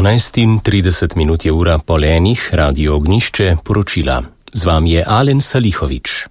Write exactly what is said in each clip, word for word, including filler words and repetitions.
dvanajst in trideset minut je ura pol enih, Radio Ognjišče, poročila. Z vami je Alen Salihovič.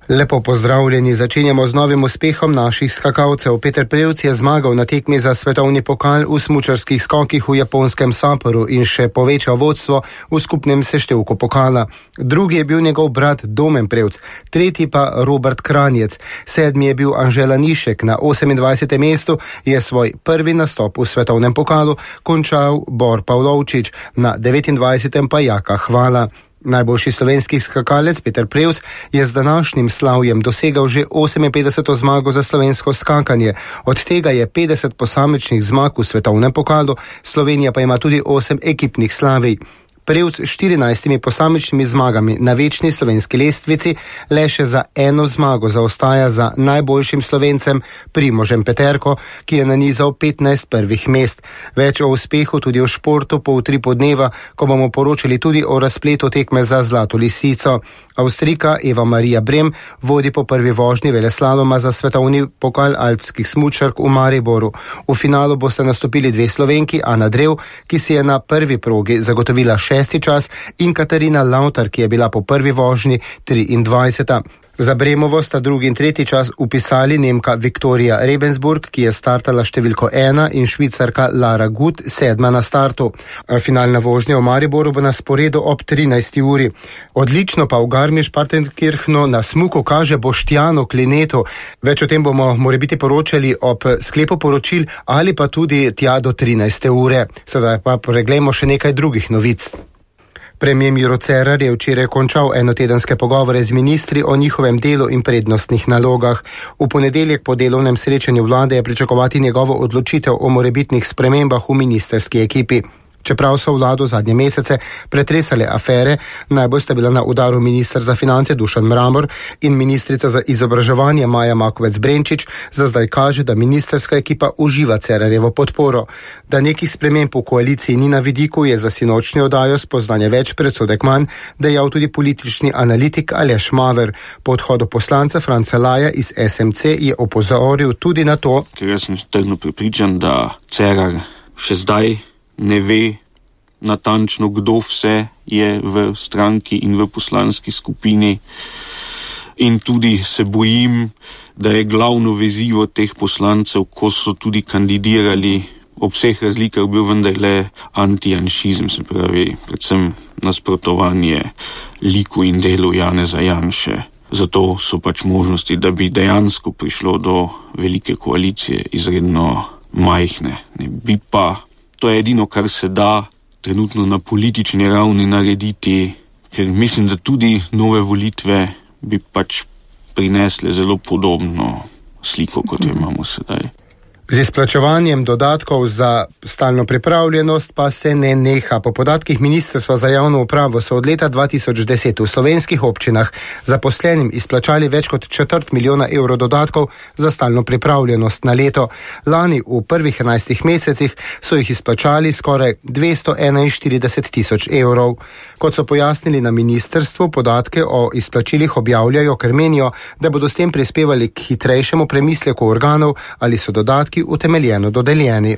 Lepo pozdravljeni, začenjamo z novim uspehom naših skakalcev. Peter Prevc je zmagal na tekmi za svetovni pokal v smučarskih skokih v japonskem Sapporu in še povečal vodstvo v skupnem seštevku pokala. Drugi je bil njegov brat Domen Prevc, tretji pa Robert Kranjec. Sedmi je bil Anže Lanišek, na osemindvajsetem mestu je svoj prvi nastop v svetovnem pokalu končal Bor Pavlovčič, na devetindvajsetem pa Jaka Hvala. Najboljši slovenski skakalec Peter Prevc je z današnjim slavjem dosegal že oseminpetdeseto zmago za slovensko skakanje. Od tega je petdeset posamičnih zmag v svetovnem pokalu, Slovenija pa ima tudi osem ekipnih slavij. Prevc s štirinajstimi posamičnimi zmagami na večni slovenski lestvici le še za eno zmago zaostaja za najboljšim Slovencem Primožem Peterko, ki je nanizal petnajst prvih mest. Več o uspehu tudi v športu po utripu dneva, ko bomo poročali tudi o razpletu tekme za Zlato lisico. Avstrijka Eva Marija Brem vodi po prvi vožnji veleslaloma za svetovni pokal alpskih smučark v Mariboru. V finalu boste nastopili dve Slovenki, Ana Drev, ki si je na prvi progi zagotovila šesti čas, in Katarina Lautar, ki je bila po prvi vožnji triindvajseta. Za Bremovo sta drugi in tretji čas upisali Nemka Viktorija Rebensburg, ki je startala številko ena, in Švicarka Lara Gut, sedma na startu. Finalna vožnja v Mariboru bo na sporedu ob trinajsti uri. Odlično pa v Garmisch-Partenkirchnu na smuku kaže Boštjanu Klinetu. Več o tem bomo morebiti poročali ob sklepu poročil ali pa tudi tja do trinajste ure. Sedaj pa preglejmo še nekaj drugih novic. Premier Miro Cerar je včeraj končal enotedenske pogovore z ministri o njihovem delu in prednostnih nalogah. V ponedeljek po delovnem srečanju vlade je pričakovati njegovo odločitev o morebitnih spremembah v ministerski ekipi. Čeprav so vlado zadnje mesece pretresale afere, najbolj sta bila na udaru minister za finance Dušan Mramor in ministrica za izobraževanje Maja Makovec Brenčič, za zdaj kaže, da ministerska ekipa uživa Cerarjevo podporo. Da nekih sprememb v koaliciji ni na vidiku, je za sinočnjo oddajo Spoznanje več predsodek manj dejal tudi politični analitik Aleš Maver. Po odhodu poslanca Franca Laja iz es em ce je opozoril tudi na to, ker jaz sem trdno prepričan, da Cerar še zdaj ne ve natančno, kdo vse je v stranki in v poslanski skupini, in tudi se bojim, da je glavno vezivo teh poslancev, ko so tudi kandidirali, ob vseh razlikah bil vendarle antijanšizem, se pravi predvsem nasprotovanje liku in delu Janeza Janše. Zato so pač možnosti, da bi dejansko prišlo do velike koalicije, izredno majhne. Ne bi pa, to je edino, kar se da trenutno na politični ravni narediti, ker mislim, da tudi nove volitve bi pač prinesle zelo podobno sliko, kot jo imamo sedaj. Z izplačevanjem dodatkov za stalno pripravljenost pa se ne neha. Po podatkih Ministrstva za javno upravo so od leta dva tisoč deset v slovenskih občinah zaposlenim izplačali več kot četrt milijona evrov dodatkov za stalno pripravljenost na leto. Lani v prvih enajstih mesecih so jih izplačali skoraj dvesto enainštirideset tisoč evrov. Kot so pojasnili na ministrstvu, podatke o izplačilih objavljajo, ker menijo, da bodo s tem prispevali k hitrejšemu premisleku organov, ali so dodatki utemeljeno dodeljeni.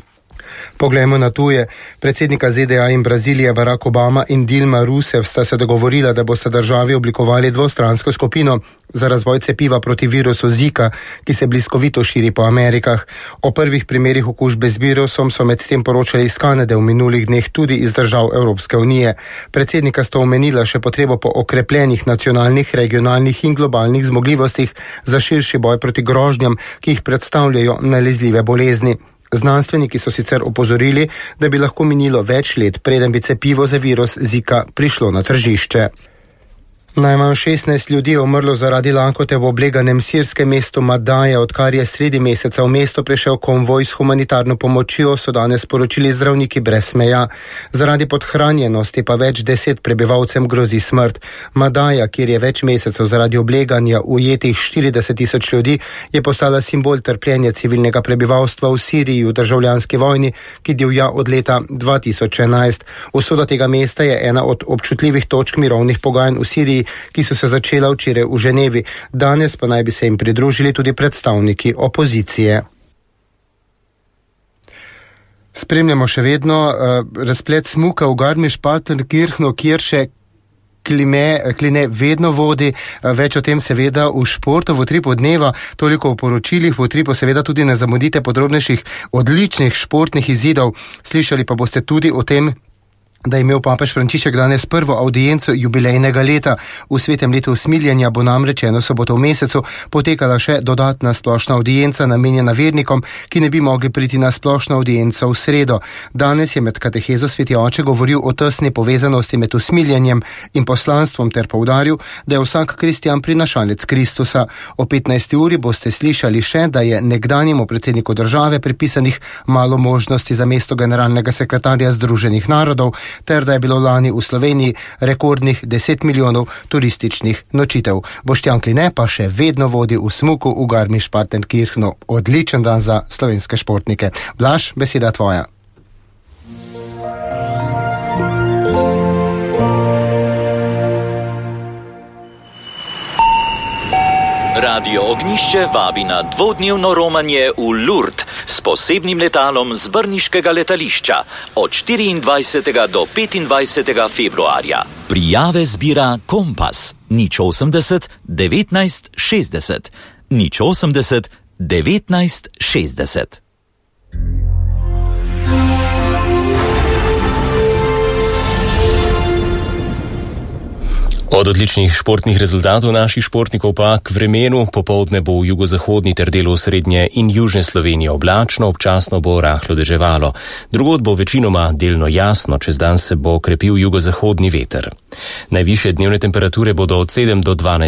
Poglejmo na tuje. Predsednika ze de a in Brazilije Barack Obama in Dilma Rousseff sta se dogovorila, da bosta državi oblikovali dvostransko skupino za razvoj cepiva proti virusu Zika, ki se bliskovito širi po Amerikah. O prvih primerih okužbe z virusom so medtem poročali iz Kanade v minulih dneh tudi iz držav Evropske unije. Predsednika sta omenila še potrebo po okrepljenih nacionalnih, regionalnih in globalnih zmogljivostih za širši boj proti grožnjam, ki jih predstavljajo nalezljive bolezni. Znanstveniki so sicer opozorili, da bi lahko minilo več let, preden bi cepivo za virus Zika prišlo na tržišče. Najmanj šestnajst ljudi je umrlo zaradi lakote v obleganem sirskem mestu Madaja, odkar je sredi meseca v mesto prišel konvoj s humanitarno pomočjo, so danes sporočili zdravniki brez meja. Zaradi podhranjenosti pa več deset prebivalcem grozi smrt. Madaja, kjer je več mesecev zaradi obleganja ujetih štirideset tisoč ljudi, je postala simbol trpljenja civilnega prebivalstva v Siriji v državljanski vojni, ki divja od leta dva tisoč enajst. Usoda tega mesta je ena od občutljivih točk mirovnih pogajanj v Siriji, ki so se začela včeraj v Ženevi. Danes pa naj bi se jim pridružili tudi predstavniki opozicije. Spremljamo še vedno uh, razplet smuka v Garmisch-Partenkirchenu, kjer še klime, kline vedno vodi. Uh, več o tem seveda v športu, v utripu dneva, toliko o poročilih, v utripu seveda tudi ne zamudite podrobnejših odličnih športnih izidov. Slišali pa boste tudi o tem, da je imel papež Frančišek danes prvo avdienco jubilejnega leta. V svetem letu usmiljenja bo namreč eno soboto v mesecu potekala še dodatna splošna avdienca namenjena vernikom, ki ne bi mogli priti na splošno avdienco v sredo. Danes je med katehezo sveti oče govoril o tesni povezanosti med usmiljenjem in poslanstvom ter poudaril, da je vsak kristjan prinašalec Kristusa. O petnajsti uri boste slišali še, da je nekdanjemu predsedniku države pripisanih malo možnosti za mesto generalnega sekretarja Združenih narodov, ter da je bilo lani v Sloveniji rekordnih deset milijonov turističnih nočitev. Boštjan Kline pa še vedno vodi v smuku v Garmisch-Partenkirchenu. Odličen dan za slovenske športnike. Blaž, beseda tvoja. Radio Ognišče vabi na dvodnevno romanje v Lourdes s posebnim letalom z brniškega letališča od štiriindvajsetega do petindvajsetega februarja. Prijave zbira Kompas nič osemdeset devetnajst šestdeset nič osemdeset devetnajst šestdeset. Od odličnih športnih rezultatov naših športnikov pa k vremenu. Popoldne bo v jugozahodni ter delu srednje in južne Slovenije oblačno, občasno bo rahlo deževalo. Drugod bo večinoma delno jasno, čez dan se bo krepil jugozahodni veter. Najvišje dnevne temperature bodo od sedem do dvanajst